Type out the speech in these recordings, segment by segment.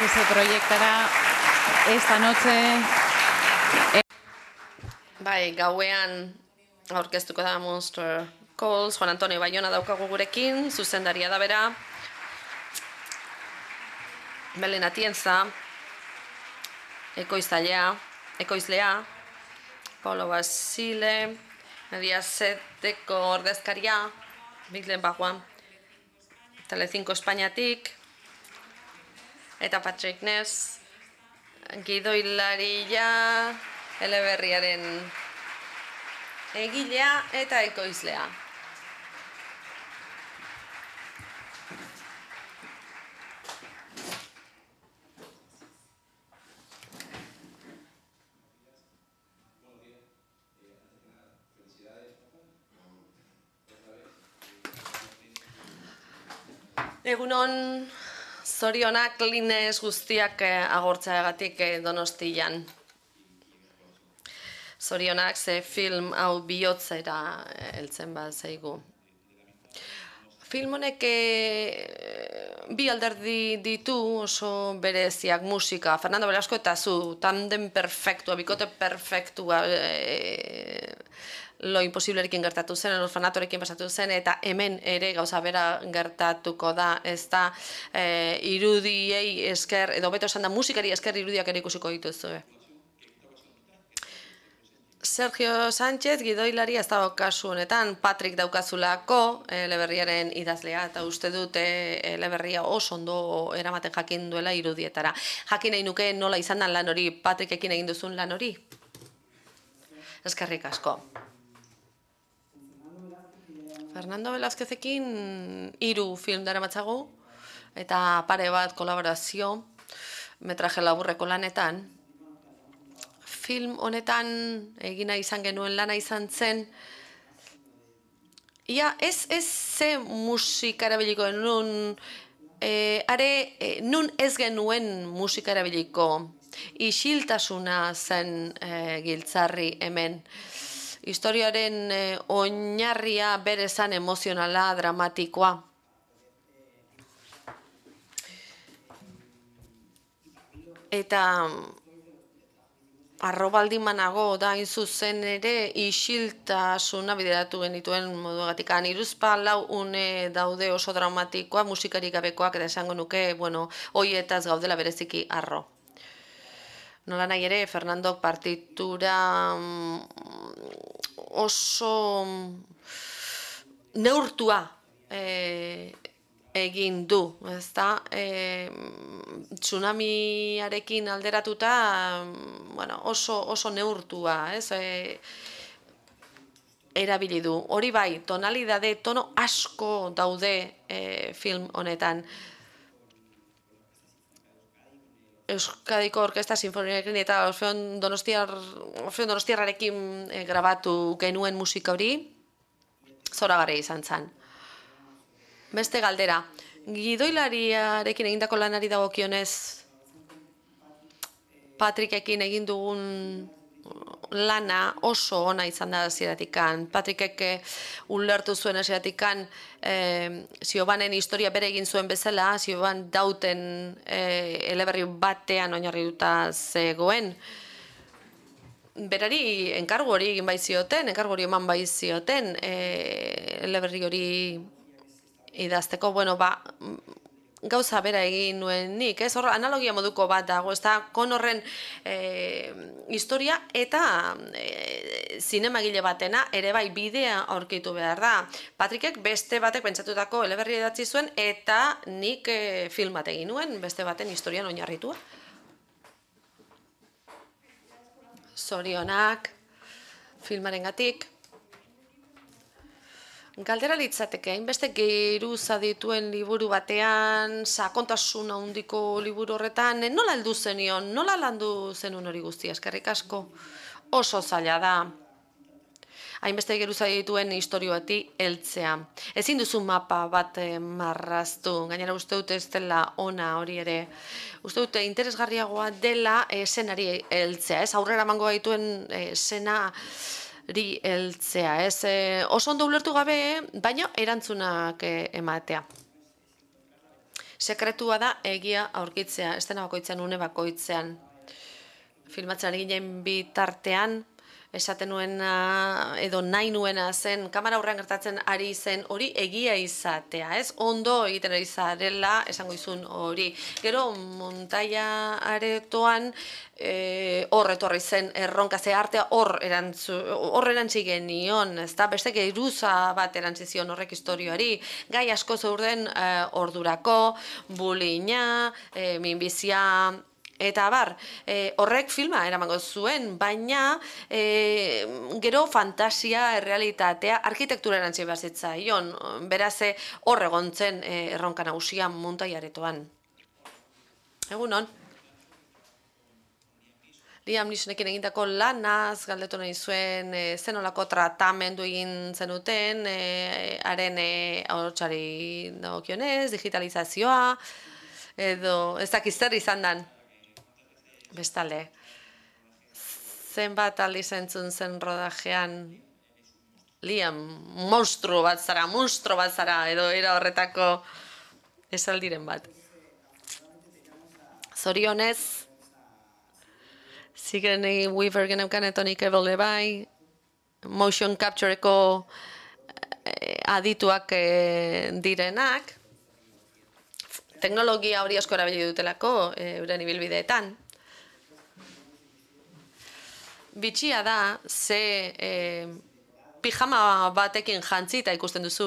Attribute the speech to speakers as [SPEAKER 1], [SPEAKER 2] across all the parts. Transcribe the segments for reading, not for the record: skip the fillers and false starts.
[SPEAKER 1] que se proyectará esta noche.
[SPEAKER 2] Bai, gauean aurkeztuko da Monster Calls, Juan Antonio Bayona daukagu gurekin, zuzendaria da bera. Belén Atienza, ekoizlea, Paulo Basile, Mediaseteko ordezkaria, Biglen Baguan, Telecinco Espainiatik, eta Patrick Ness, gidoilaria, eleberriaren egilea eta ekoizlea. Egunon, zorionak linez guztiak agortzeagatik Donostian. Zorionak ze film hau bihotzera heltzen bat zaigu. Film honek bi alderdi ditu oso bereziak, musika, Fernando Velasco eta zu, tandem perfektua, bikote perfektua, Lo Imposiblerekin gertatu zen, El Orfanatorekin pasatu zen, eta hemen ere gauza bera gertatuko da, ez da irudiei esker, edo beto esan da musikari esker irudiak ere ikusiko dituzue. Sergio Sánchez, gidoilari ez dago kasu honetan, Patrick daukazulako eleberriaren idazlea, eta uste dut eleberria oso ondo eramaten jakin duela irudietara. Jakin nahi nuke nola izan dan lan hori, Patrickekin egin duzun lan hori? Eskerrik asko. Fernando Velázquezekin 3 film daramatzagu, eta pare bat kolaborazio, metraje laburreko lanetan. Film honetan egina izan genuen lana izan zen, ia ez ze musika erabiliko nun, nun ez genuen musika erabiliko, isiltasuna zen giltzarri hemen. Historiaren oinarria bere zan emozionala, dramatikoa. Eta arrobaldimanago da hain zuzen ere isiltasuna bideratu genituen moduagatikan. 3-4 une daude oso dramatikoa, musikarik gabekoak, eta esango nuke, bueno, hoietaz gaudela bereziki harro. Nola nahi ere, Fernandok partitura oso neurtua egin du, ezta? Tsunamiarekin alderatuta, bueno, oso neurtua, ez? Erabili du. Hori bai, tonalidade, tono asko daude film honetan. Euskadiko Orkestra Sinfoniarekin eta Orfeon Donostiarrarekin grabatu genuen musika hori, zoragarria izan zen. Beste galdera, gidoilariarekin egindako lanari dagokionez, Patrickekin egin dugun lana oso ona izan da hasieratik. Patrickek ulertu zuen hasieratik Ziobanen historia bere egin zuen bezala, Zioban dauten eleberri batean oinarrituta zegoen. Berari enkargu hori egin baizioten, enkargu hori eman baizioten eleberri hori idazteko, bueno, gauza bera egin nuen nik, ez? Hor, analogia moduko bat dago, ez da, Connorren historia eta zinemagile batena ere bai bidea aurkitu behar da. Patrickek beste batek pentsatutako eleberri idatzi zuen eta nik film bat egin nuen, beste baten historian oinarritua. Zorionak, filmarengatik. Galdera litzateke, hainbeste geruza dituen liburu batean, sakontasun handiko liburu horretan, nola heldu zenion, nola landu zenun hori guztia, eskerrik asko? Oso zaila da. Hainbeste geruza dituen historioati heltzea. Ezin duzu mapa bat marraztu, gainera uste dute ez dela ona hori ere. Uste dute interesgarriagoa dela eszenari heltzea, ez? Aurrera emango gaituen esena heltzea, ez? Oso ondo ulertu gabe, baina erantzunak ematea. Sekretua da egia aurkitzea, estena bakoitzean, une bakoitzean. Filmatzen ari ginen bitartean, esaten nuena edo nahi nuena zen, kamera aurrean gertatzen ari zen hori egia izatea, ez? Ondo egiten ari zarela esango izun hori. Gero montaia aretoan hor etorri zen erronka, ze artea hor erantzi genion, ez da? Beste geruza bat erantzi zion horrek historioari, gai asko zeuden ordurako, bulina, minbizia, eta horrek filma eramango zuen, baina gero fantasia, errealitatea, arkitektura erantzi behar zitzaion, beraz hor egon zen erronka nagusia montaiaretoan. Egunon. Liam Neesonekin egindako lanaz galdetu nahi zuen zenolako tratamendu egin zenuten, haren ahotsari dagokionez, digitalizazioa, edo ez dakiz zer izan dan. Bestalde, zenbat aldiz entzun zen rodajean, Liam, monstro bat zara, edo era horretako esaldiren bat. Zorionez, Sigourney Weaver geneukan eta Tony Cavell bai, motion captureko adituak direnak, teknologia hori asko erabili dutelako euren ibilbideetan. Bitxia da, ze pijama batekin jantzita ikusten duzu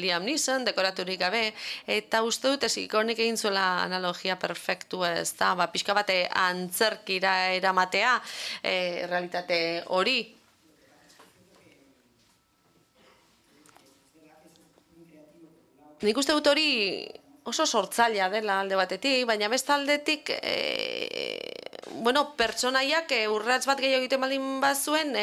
[SPEAKER 2] Liam Neeson, dekoraturik gabe, eta uste dut Sigurnik egin zuela analogia perfektua, ez da, pixka bate antzerkira eramatea realitate hori. Nik uste dut hori oso sortzailea dela alde batetik, baina beste aldetik pertsonaiak urrats bat gehiago egiten baldin bazuen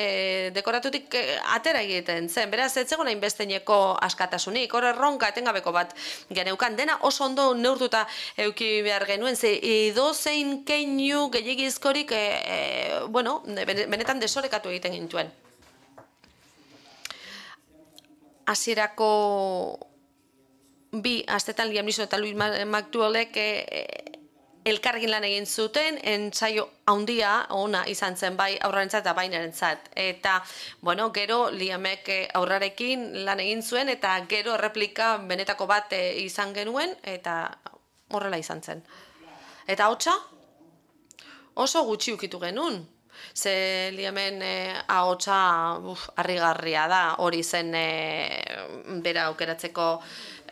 [SPEAKER 2] dekoratutik atera egiten zen. Beraz, ez zegoen hainbesteneko askatasunik, hor erronka etengabeko bat geneukan. Dena oso ondo neurtuta euki behar genuen, ze edozein keinu gehiagizkorik benetan desorekatu egiten gintuen. Hasierako bi astetan Liam Neeson eta Louis McDowellek elkarrekin lan egin zuten, entsaio handia ona izan zen bai aurrarentzat eta bainarentzat. Eta, gero Liamek aurrarekin lan egin zuen eta gero erreplika benetako bat izan genuen eta horrela izan zen. Eta hotsa oso gutxi ukitu genuen. Ze Liamen ahotsa harrigarria da, hori zen bera aukeratzeko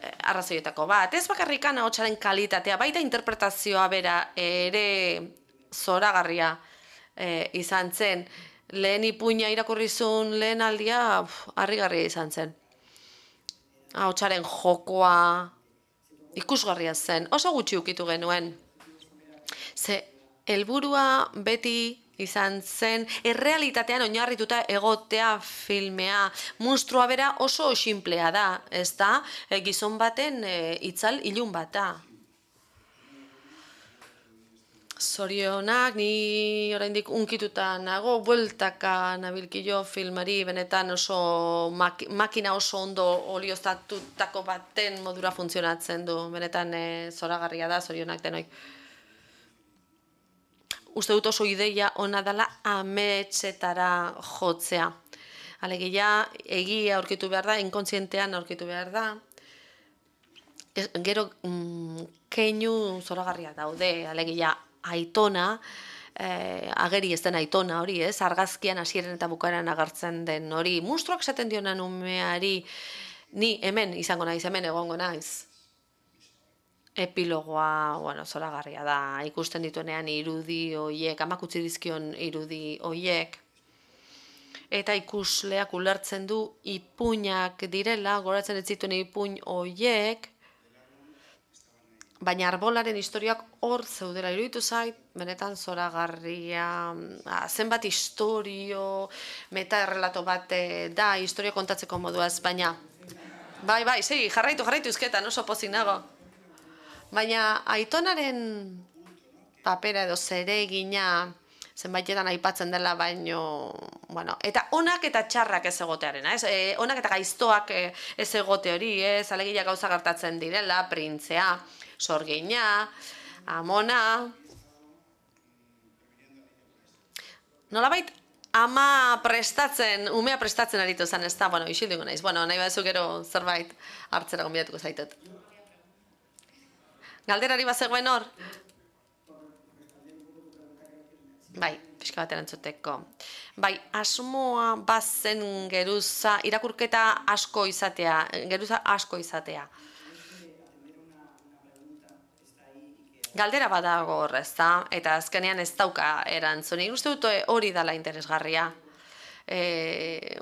[SPEAKER 2] arrazoietako bat. Ez bakarrikan ahotsaren kalitatea, baita interpretazioa bera ere zoragarria izan zen. Lehen ipuina irakurrizun lehen aldia harrigarria izan zen. Ahotsaren jokoa ikusgarria zen. Oso gutxi ukitu genuen. Ze helburua beti izan zen, errealitatean oinarrituta egotea filmea. Monstrua bera oso sinplea da, ez da? Gizon baten itzal ilun bat da. Zorionak, ni oraindik unkituta nago, bueltaka nabilkio filmari, benetan oso makina oso ondo olioztatutako baten modura funtzionatzen du. Benetan zoragarria da, zorionak denoik. Uste dut oso ideia ona dela ametsetara jotzea. Alegia, egia aurkitu behar da, inkontzientean aurkitu behar da. Gero, keinu zoragarria daude, alegia, Aitona, ageri ez den Aitona hori, ez? Argazkian hasieren eta bukaeran agertzen den hori. Monstruak esaten dionan umeari, ni hemen izango naiz, hemen egongo naiz. Epilogoa, zoragarria da, ikusten dituenean irudi hoiek, amak utzi dizkion irudi hoiek. Eta ikusleak ulertzen du ipuinak direla, goratzen ez zituen ipuin hoiek, baina arbolaren historiak hor zeudela iruditu zait, benetan zoragarria, zenbat historio, meta-errelato bat da, historia kontatzeko moduaz, baina, bai, segi, jarraitu izketan, oso pozik nago. Baina Aitonaren papera edo zeregina zenbaitetan aipatzen dela, baino, bueno, eta onak eta txarrak ez egotearena, ez? Onak eta gaiztoak ez egote hori, ez? Alegia gauza gertatzen direla, printzea, sorgina, amona. Nolabait, umea prestatzen aritu zen, ez da, bueno, isilduko naiz, bueno, nahi baduzu gero zerbait hartzera gonbidatuko zaitut. Galderari bazegoen hor? Bai, pixka bat erantzuteko. Bai, asmoa bazen geruza, irakurketa asko izatea, geruza asko izatea. Galdera badago hor, ez da, eta azkenean ez dauka erantzunik. Uste dut hori dela interesgarria.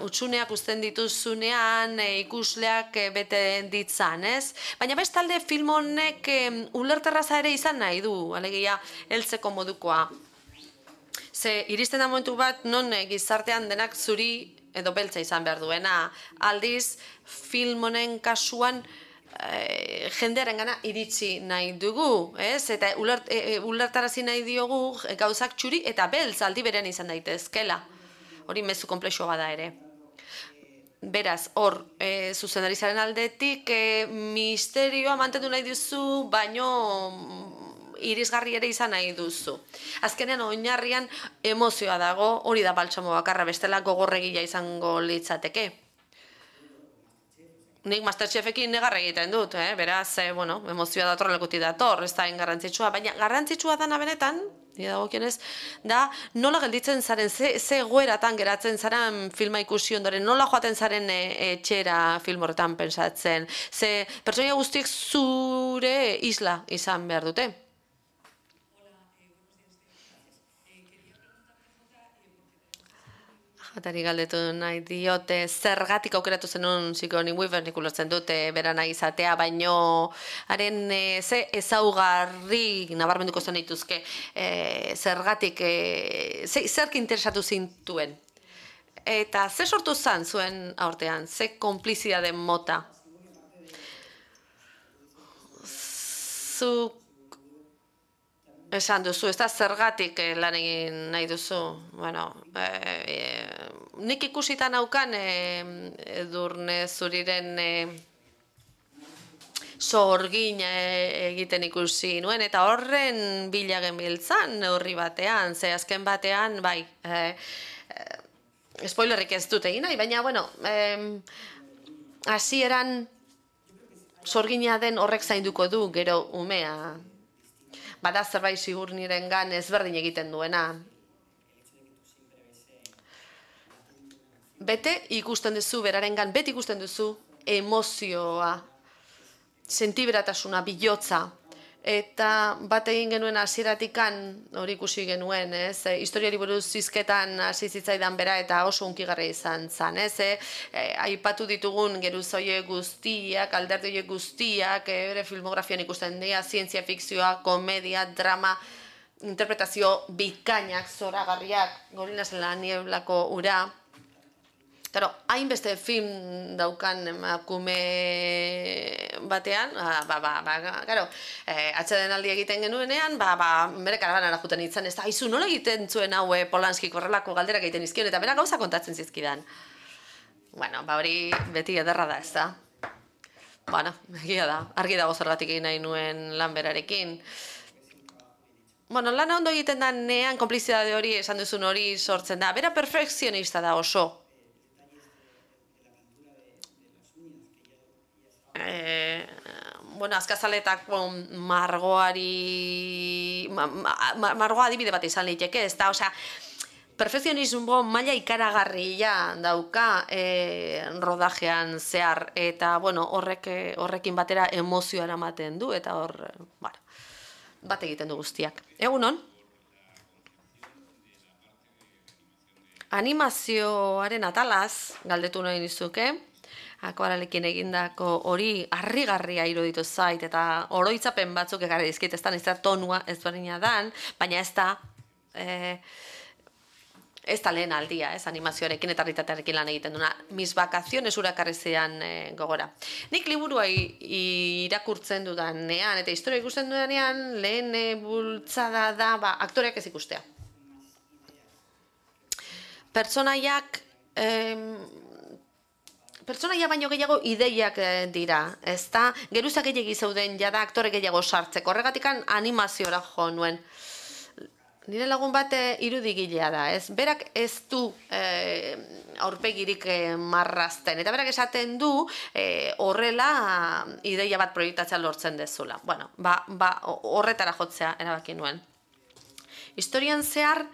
[SPEAKER 2] Utsuneak uzten dituzunean ikusleak bete ditzan, ez? Baina bestalde film honek ulerterraza ere izan nahi du, alegia heltzeko modukoa. Ze iristen da momentu bat non gizartean denak zuri edo beltza izan behar duena. Aldiz, film honen kasuan jendearen gana iritsi nahi dugu, ez? Eta ulertarazi nahi diogu gauzak txuri eta beltz aldi berean izan daitezkela. Hori mezu konplexua bada ere. Beraz, hor, zuzendarizaren aldetik misterioa mantendu nahi duzu, baino irisgarri ere izan nahi duzu. Azkenean oinarrian emozioa dago, hori da baltsamo bakarra, bestela gogorregia izango litzateke. Nik Masterchefekin negar egiten dut, beraz, bueno, emozioa dator lekuti dator, ez da garrantzitsua, baina garrantzitsua dana benetan, da nola gelditzen zaren, ze egoeratan geratzen zaren filma ikusi ondoren, nola joaten zaren etxera film horretan pensatzen, ze pertsonaia guztiek zure isla izan behar dute. Jatari galdetu nahi diote, zergatik aukeratu zenun Sigourney Weaver, nik ulertzen dute bera nahi izatea, baino haren ze ezaugarri nabarmenduko zen dituzke, zergatik, zerk interesatu zintuen. Eta ze sortu zan zuen aurtean, ze konplizidade mota? Zuk esan duzu, ez da zergatik lan egin nahi duzu. Bueno, nik ikusita naukan Edurne Zuriren sorgin egiten ikusi nuen, eta horren bila genbiltzan neurri batean, ze azken batean, bai, spoilerrik ez dut egin nahi, baina, bueno, hasieran sorgina den horrek zainduko du gero umea. Bada zerbait Sigourneyrengan ezberdin egiten duena. Bete ikusten duzu, berarengan beti ikusten duzu emozioa, sentiberatasuna, bilotza. Eta bat egin genuen hasieratikan hori ikusi genuen, ez? Historiari buruz hizketan hasi zitzaidan bera eta oso hunkigarria izan zen, ez? Aipatu ditugun geruzoie guztiak, alderdi horiek guztiak, bere filmografian ikusten dira, zientzia fikzioa, komedia, drama, interpretazio bikainak, zoragarriak, Gorilas en la nieblako ura. Claro, hainbeste film daukan emakume batean, claro, atsedenaldi egiten genuenean, bere karavanara juten itzan, ez da, aizu, nola egiten zuen hau Polanskik horrelako galderak egiten izkion, eta bera gauza kontatzen zizkidan. Bueno, hori beti ederra da, ez da. Bueno, egia da, argi dago zergatik egin nahi nuen lan berarekin. Bueno, lana ondo egiten da nean konplizidade hori, esan duzun hori sortzen da, bera perfekzionista da oso. Bueno, azkazaletak margoa adibide bat izan liteke, ez da, osea, perfekzionismo maila ikaragarria dauka rodajean zehar, eta, bueno, horrekin batera emozioa eramaten du, eta hor, bat egiten du guztiak. Egunon? Animazioaren atalaz, galdetu nahi nizuke, akuarelekin egindako hori harrigarria iruditu zait, eta oroitzapen batzuk ekarri dizkit, ez da, ez da tonua ezberdina dan, baina ez da lehen aldia, ez animazioarekin eta realitatearekin lan egiten duna. Mis vacaciones urakarri zean gogora. Nik liburua irakurtzen dudanean, eta historia ikusten dudanean, lehen bultzada da, aktoreak ez ikustea. pertsonaiak pertsonaia baino gehiago ideiak dira, ezta? Geruza gehiagi zeuden jada aktore gehiago sartzeko. Horregatikan animaziora jo nuen. Nire lagun bat irudigilea da, ez? Berak ez du aurpegirik marrazten. Eta berak esaten du horrela ideia bat proiektatzea lortzen dezula. Bueno, horretara jotzea erabaki nuen. Historian zehar,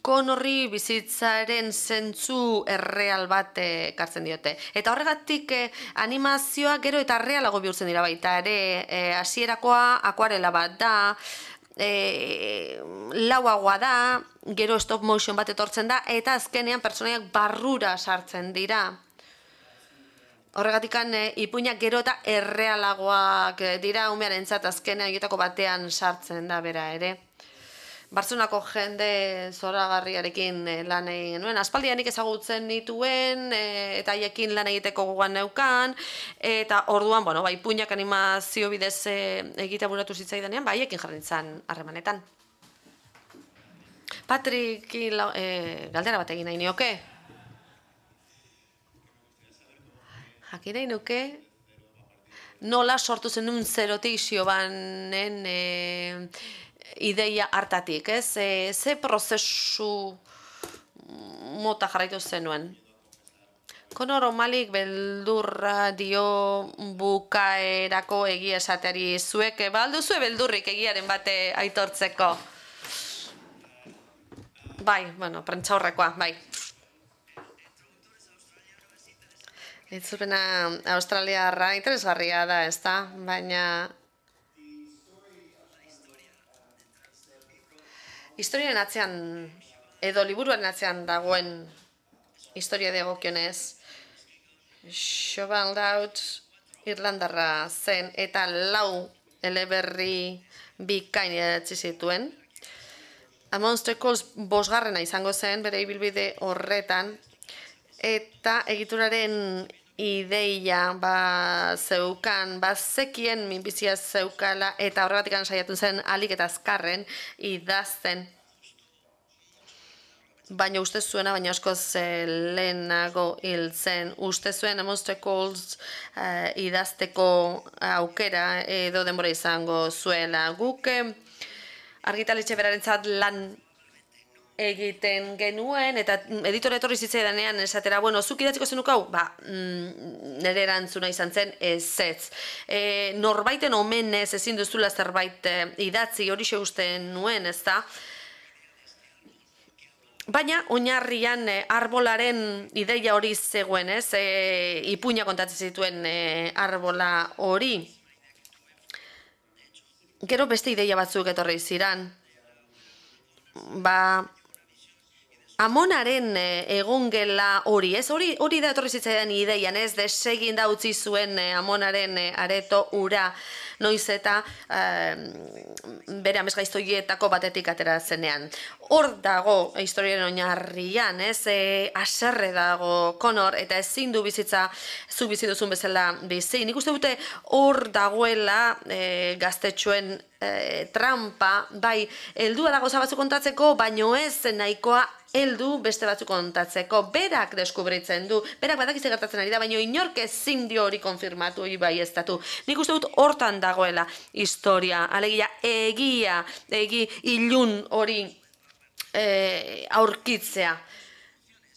[SPEAKER 2] Connorri bizitzaren zentzu erreal bat ekartzen diote. Eta horregatik animazioa gero eta errealago bihurtzen dira baita ere, hasierakoa akuarela bat da, lauagoa da, gero stop motion bat etortzen da, eta azkenean pertsonaiak barrura sartzen dira. Horregatikan ipuinak gero eta errealagoak dira, umearentzat azkenean horietako batean sartzen da bera ere. Bartzelonako jende zoragarriarekin lan egin nuen. Aspaldianik ezagutzen nituen, eta haiekin lan egiteko gogoan neukan, eta orduan, ipuinak animazio bidez egitea buratu zitzaidanean, haiekin jarri nintzen harremanetan. Patriki, galdera bat egin nahi nioke? Jakin nahi nuke? Nola sortu zenun zerotik Xiobanen ideia hartatik, ez? Ze prozesu mota jarraitu zenuen? Connor O'Malleyk beldurra dio bukaerako egia esateari, zuek alduzue beldurrik egiaren bate aitortzeko. Bai, prentsaurrekoa, bai. Itzulpena australiarra interesgarria da, ezta? Baina historiaren atzean, edo liburuaren atzean dagoen historia dagokionez, Siobhan Laut Irlandarra zen eta 4 eleberri bikain idatzi zituen. A Monster Calls 5. izango zen bere ibilbide horretan, eta egituraren ideia zeukan, zekien minbizia zeukala, eta horregatik saiatu zen alik eta azkarren idazten. Baina uste zuena, baina askoz lehenago hil zen. Uste zuen A Monster Calls idazteko aukera edo denbora izango zuela. Guk argitaletxe berarentzat lan egiten genuen, eta editore etorri zitzaidanean esatera, zuk idatziko zenuk hau? Nire erantzuna izan zen ezetz. Norbaiten omenez ezin duzula zerbait idatzi, hori uste nuen, ez da? Baina, oinarrian arbolaren ideia hori zegoen, ez? Ipuina kontatzen zituen arbola hori. Gero beste ideia batzuk etorri ziran. Amonaren egongela hori, ez? Hori da etorri zitzaidan ideian, ez? Desegin da utzi zuen Amonaren areto ura, noiz eta bere amesgaiztoietako batetik atera zenean. Hor dago historiaren oinarrian, ez? Haserre dago Connor, eta ezin du bizitza zu bizi duzun bezala bizi. Nik uste dute hor dagoela gaztetxoen trampa, bai, heldua da gauza batzuk kontatzeko, baino ez nahikoa heldu beste batzuk kontatzeko. Berak deskubritzen du, berak badakiz gertatzen ari da, baino inork ezin dio hori konfirmatu, bai ez datu. Nik uste dut hortan dagoela historia, alegia egi ilun hori aurkitzea.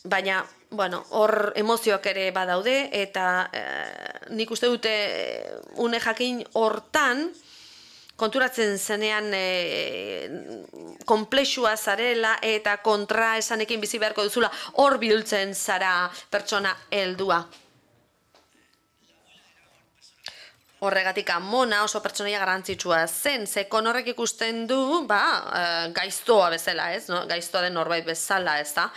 [SPEAKER 2] Baina, hor emozioak ere badaude, eta nik uste dute une jakin hortan, konturatzen zenean konplexua zarela eta kontra esanekin bizi beharko duzula, hor bihurtzen zara pertsona heldua. Horregatik Amona oso pertsonaia garrantzitsua zen, ze Connorrek ikusten du, gaiztoa bezala, ez? Gaiztoa den norbait bezala, ez da?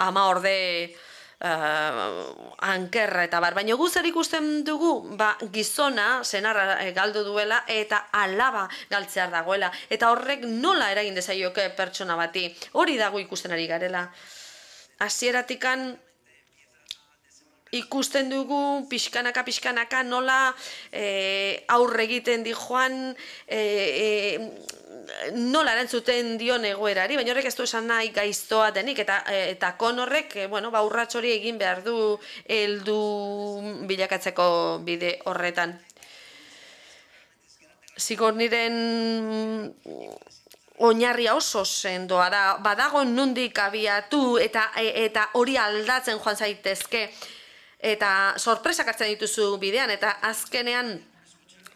[SPEAKER 2] Ama orde ankerra eta baina gu zer ikusten dugu, gizona senarra galdu duela eta alaba galtzear dagoela, eta horrek nola eragin dezaioke pertsona bati, hori dago ikusten ari garela. Hasieratikan ikusten dugu pixkanaka nola aurre egiten di joan nola erantzuten dion egoerari, baina horrek ez du esan nahi gaiztoa denik, eta Connorrek, urrats hori egin behar du heldu bilakatzeko bide horretan. Sigourneyren oinarria oso sendoa da, badago nondik abiatu eta hori aldatzen joan zaitezke, eta sorpresak hartzen dituzu bidean, eta azkenean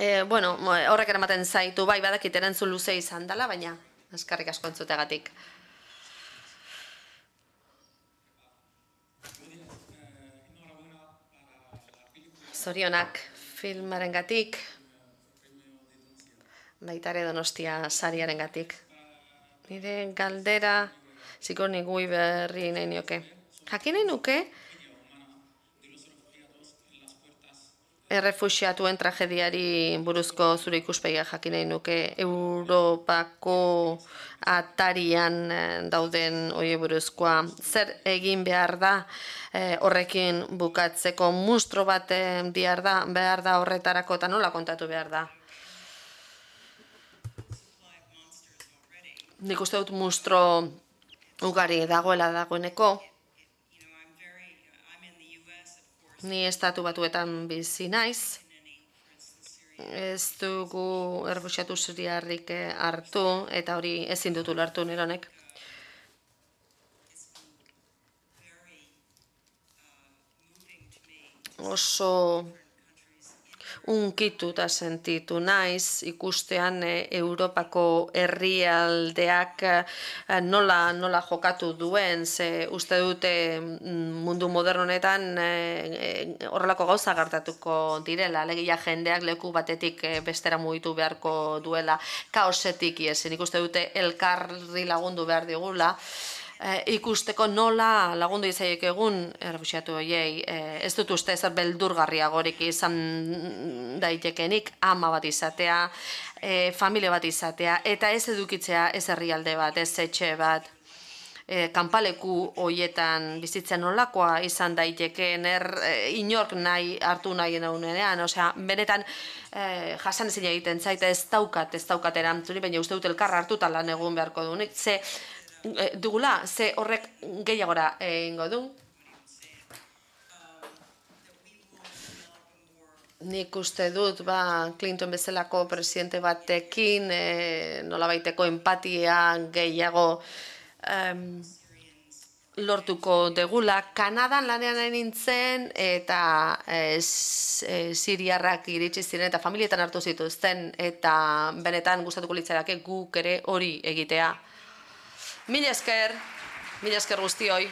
[SPEAKER 2] horrek eramaten zaitu, bai, badakit erantzun luze izan dela, baina eskerrik asko entzuteagatik. Zorionak filmarengatik, baita ere Donostia sariarengatik. Nire galdera Sigourney Weaverri nahi nioke. Jakin nahi nuke, errefuxiatuen tragediari buruzko zure ikuspegia jakin nahi nuke, Europako atarian dauden oie buruzkoa. Zer egin behar da horrekin bukatzeko, munstro bat behar da horretarako, eta nola kontatu behar da? Nik uste dut munstro ugari dagoeneko. Ni Estatu Batuetan bizi naiz, ez dugu errefuxiatu siriarrik hartu, eta hori ezin dut ulertu nire honek. Oso unkituta sentitu naiz, ikustean Europako herrialdeak nola jokatu duen, ze uste dute mundu modernonetan horrelako gauza gertatuko direla, alegia jendeak leku batetik bestera mugitu beharko duela, kaosetik iesen, ikuste dute elkarri lagundu behar digula, ikusteko nola lagundu izaiek egun errefuxiatu horiei. Ez dut uste zer beldurgarriagorik izan daitekenik, ama bat izatea, familia bat izatea, eta ez edukitzea ez herrialde bat, ez etxe bat. Kanpaleku horietan bizitzen nolakoa izan daitekeen, inork nahi hartu nahi naunenean, osea, benetan jasan ezin egiten zaita ez daukat erantzuni, baina uste dut elkarra hartuta lan egun beharko dunik, dugula, ze horrek gehiagora egingo du. Nik uste dut, Clinton bezalako presidente batekin nolabaiteko empatia gehiago lortuko degula. Kanadan lanean nintzen eta siriarrak iritsi ziren eta familietan hartu zituzten, eta benetan gustatuko litzaiake guk ere hori egitea. Mila esker guztioi.